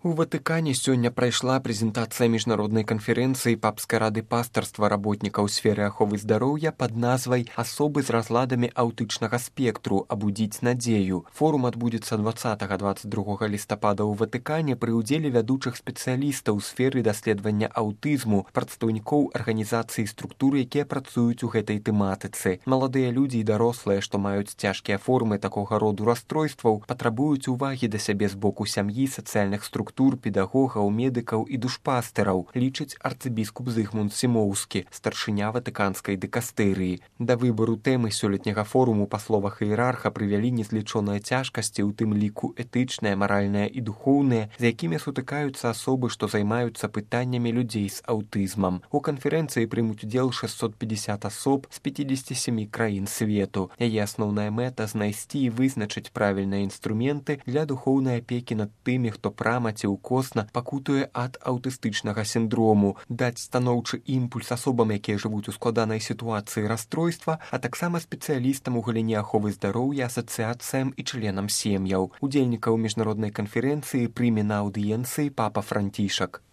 У Ватыкане сёння прайшла прэзентацыя міжнароднай канферэнцыі папскай рады пастарства работнікаў сферы аховы здароўя пад назвай «Асобы з разладамі аўтычнага спектру. Абудзіць надзею». Форум адбудзецца 20-22 лістапада ў Ватыкане пры ўдзеле вядучых спецыялістаў у сферы даследавання аўтызму, прадстаўнікоў арганізацый і структур, якія працуюць у гэтай тэматыцы. Маладыя людзі і дарослыя, што маюць цяжкія формы такога роду расстройстваў, патрабуюць увагі да сябе з боку сям'і, сацыяльных структур, педагогаў, медыкаў і душпастэраў, лічыць арцыбіскуп Зыгмунд Сімоўскі, старшыня ватыканскай дыкастэрыі. Да выбару тэмы сёлетняга форуму, па словах іерарха, прывялі незлічоныя цяжкасці, у тым ліку этычныя, маральныя і духоўныя, з якімі сутыкаюцца асобы, што займаюцца пытаннямі людзей з аўтызмам. У канферэнцыі прымуць удзел 650 асоб з 57 краін свету. Яе асноўная мэта — знайсці і вызначыць правільныя інструменты для духоўнай апекі над тымі, хто прама ці ўкосна пакутуе ад аўтыстычнага сіндрому, даць станоўчы імпульс асобам, якія жывуць у складанай сітуацыі расстройства, а таксама спецыялістам у галіне аховы здароўя, асацыяцыям і членам сем'яў. Удзельнікаў міжнароднай канферэнцыі прыме на аўдыенцыі папа Францішак.